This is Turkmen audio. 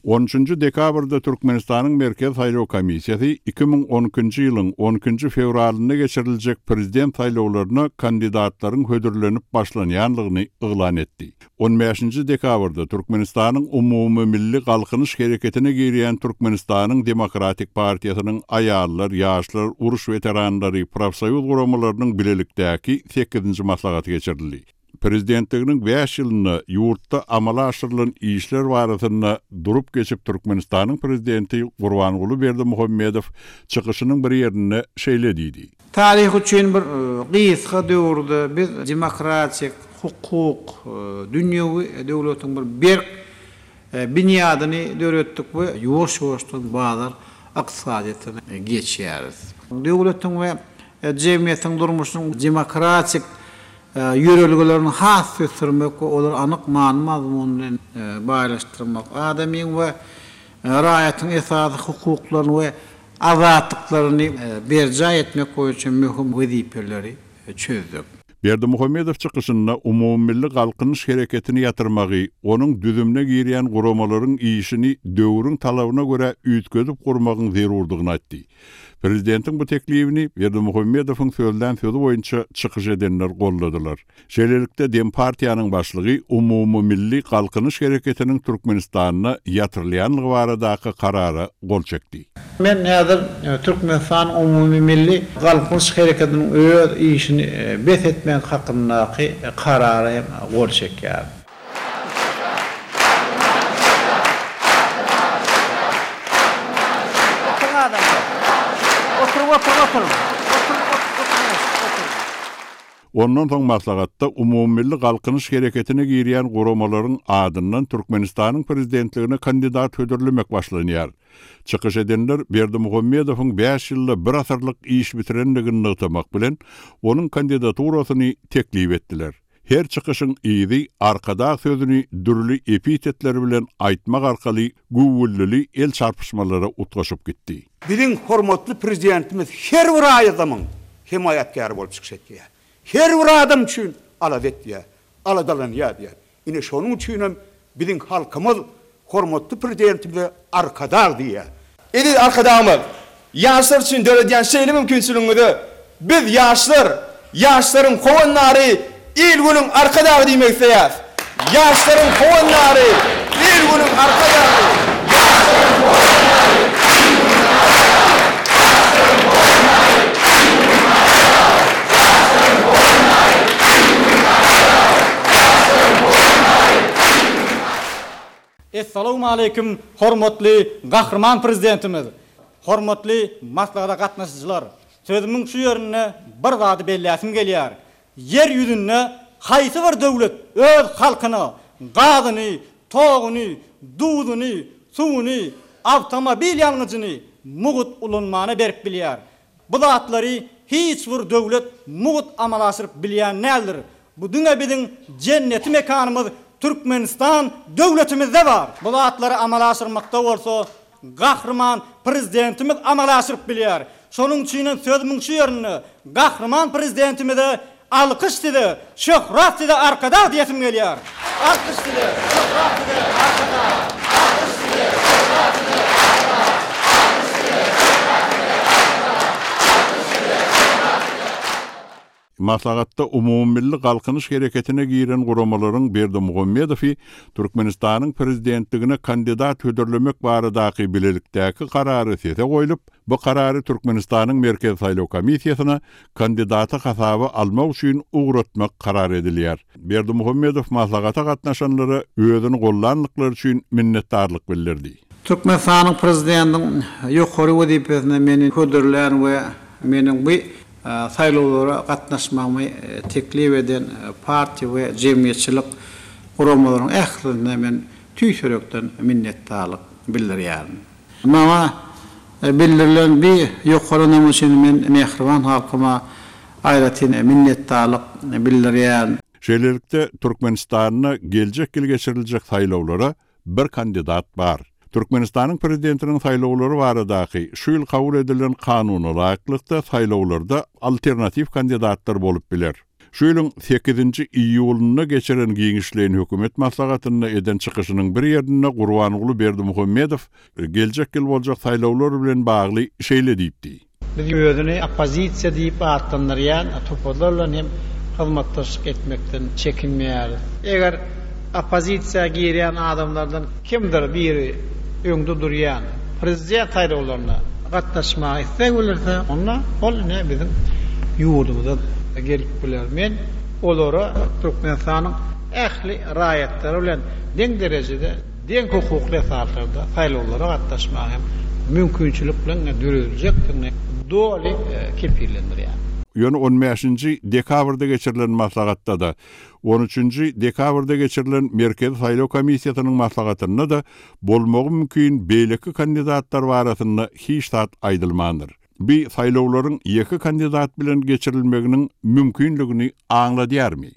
On üçünji dekabrda Türkmenistanyň Merkezi saýlaw komissiýasy 2012-nji ýylyň on ikinji fewralynda geçiriljek prezident saýlawlaryna kandidatlaryň hödürlenip başlanýanlygyny yglan etdi. On bäşinji dekabrda Türkmenistanyň Umumymilli Galkynyş hereketine girýän Türkmenistanyň Demokratik partiýasynyň Aýallar, ýaşlar, uruş weteranlary, profsoýuz guramalarynyň bilelikdäki sekizinji maslahaty geçirildi. Prezidentliginiň bäş ýylynda ýurtda amala aşyrylan işler barasynda durup geçip Türkmenistanyň Prezidenti Gurbanguly Berdimuhamedow çykyşynyň bir ýerinde şeýle diýdi. Taryh üçin bir gysga döwürde biz demokratik, hukuk, dünýewi döwletiň bir berk binýadyny döretdik we ýuwaş-ýuwaşdan bazar ykdysadyýetine geçýäris. Döwletiň we jemgyýetiň durmuşynyň demokratik ýörelgelerini has ösdürmek we olary anyk many-mazmun bilen baýlaşdyrmak, adamyň we raýatyň esasy hukuklaryny we azatlyklaryny berjaý etmek boýunça möhüm wezipeleri çözdük. Berdimuhamedow çykyşynda umumymilli Galkynyş hereketini ýatyrmagy, onuň düzümine girýän guramalaryň işini döwrüň talabyna görä üýtgedip gurmagyň zerurdygyny aýtdy. Prezidentiň bu teklibini Berdimuhamedowyň sözlän sözi boýunça çykyş edenler goldadylar. Şeýlelikde, Dempartiýanyň başlygy umumymilli Galkynyş hereketiniň Türkmenistanda ýatyrylýanlygy baradaky karara gol çekdi. Men häzir Türkmenistan umumymilli Galkynyş hereketiniň öz işini bes etmek hakyndaky karara hem gol çekýärin. Oturyň adamlar. Oturyň oturyň oturyň. Oturyň oturyň oturyň. Ondan soň maslahatda Umumymilli Galkynyş hereketine girýän guramalaryň adyndan Türkmenistanyň Prezidentligine kandidat hödürlemek başlanýar. Çykyş edenler Berdimuhamedowyň bäş ýylda bir asyrlyk iş bitirendigini nygtamak bilen, onuň kandidaturasyny teklip etdiler. Her çykyşyň yzy Arkadag sözüni dürli epitetler bilen aýtmak arkaly güwwüldili el çarpyşmalara utgaşyp gitdi. Biziň hormatly Prezidentimiz her bir adamyň hemaýatkäri bolup çykyş etýär. Her bir adam üçin alada etýär, aladalanýar diýýär. Ine şonuň üçinem biziň halkymyz hormatly Prezidentimize Arkadag diýýär. Eziz Arkadagymyz, ýaşlar üçin döredýän şeýle mümkinçiligiňize biz, ýaşlar, ýaşlaryň howandary, il-günüň Arkadagy diýmek isleýäris. Ýaşlaryň howandary, il-günüň Arkadagy! Ýaşlaryň howandary, il-günüň Arkadagy! Ýaşlaryň howandary, il-günüň Arkadagy! Ýaşlaryň howandary, il-günüň Arkadagy! Ýaşlaryň howandary, il-günüň Arkadagy! Essalawmaleýkim hormatly Gahryman Prezidentimiz! Hormatly maslahata gatnaşyjylar! Sözümiň şu ýerinde bir zady belläsim gelýär. Ýer ýüzünde haýsy bir döwlet öz halkyna gazyny, toguny, duzuny, suwuny, awtomobil ýangyjyny mugt ulanmana berip bilýär? Bu zatlary hiç bir döwlet mugt amala aşyryp bilýän däldir. Bu diňe biziň jenneti mekanymyz Türkmenistan döwletimizde bar. Bu zatlary amala aşyrmakda bolsa Gahryman Prezidentimiz amala aşyryp bilýär. Şonuň üçinem sözümiň şu ýerinde Gahryman Prezidentimize Alkyş size, şöhrat size Arkadag diýesim gelýär. Alkyş size, şöhrat size Arkadag. Alkyş size, şöhrat size Arkadag. Alkyş size, şöhrat size Arkadag. Alkyş size, şöhrat size. Maslahatda Umumymilli Galkynyş hereketine giren guramalaryň Berdimuhamedowy Türkmenistanyň Prezidentligine kandidat hödürlemek baradaky bilelikdäki karary sese goýlup, bu karary Türkmenistanyň Merkezi saýlaw komissiýasyna kandidaty hasaba almak üçin ugratmak karar edilýär. Berdimuhamedow maslahata gatnaşanlara özüni gollandyklary üçin minnetdarlyk bildirdi. Türkmenistanyň Prezidentiniň ýokary wezipesine meni hödürlän we meniň bu saýlawlara gatnaşmagymy teklip eden partiýa we jemgyýetçilik guramalaryň ählisine men tüýs ýürekden minnetdarlyk bildirýärin. Maňa bildirilen bi ýokary ynam üçin men mähriban halkyma aýratyn minnetdarlyk bildirýärin. Şeýlelikde, Türkmenistanda geljek ýyl geçiriljek saýlawlara bir kandidat bar. Türkmenistanyň Prezidentiniň saýlawlary baradaky şu ýyl kabul edilen kanuna laýyklykda saýlawlarda alternatiw kandidatlar bolup biler. Şu ýylyň sekizinji iýulynda geçiren giňişleýin hökümet maslahatynda eden çykyşynyň bir ýerinde Gurbanguly Berdimuhamedow geljek ýyl boljak saýlawlar bilen bagly şeýle diýipdi. Biz özüni oppozisiýa diýip atlandyrýan toparlar bilen hem hyzmatdaşlyk etmekden çekinmeýäris. Eger oppozisiýa girýän adamlardan kimdir biri öňde durýan prezident saýlawlaryna gatnaşmaga isleg bildirse, onda ol ine biziň ýurdumyza gelip biler. Men olara Türkmenistanyň ähli raýatlary bilen deň derejede deň hukukly esaslarda saýlawlara gatnaşmaga hem mümkinçilikleň dörediljekdigini doly kepillendirýär. Ýöne on bäşinji dekabrda geçirilen maslahatda-da, on üçünji dekabrda geçirilen Merkezi saýlaw komissiýasynyň maslahatynda-da bolmagy mümkin beýleki kandidatlar barasynda hiç zat aýdylmandyr. Bi saýlawlaryň ýeke kandidat bilen geçirilmeginiň mümkinligini aňladýarmy?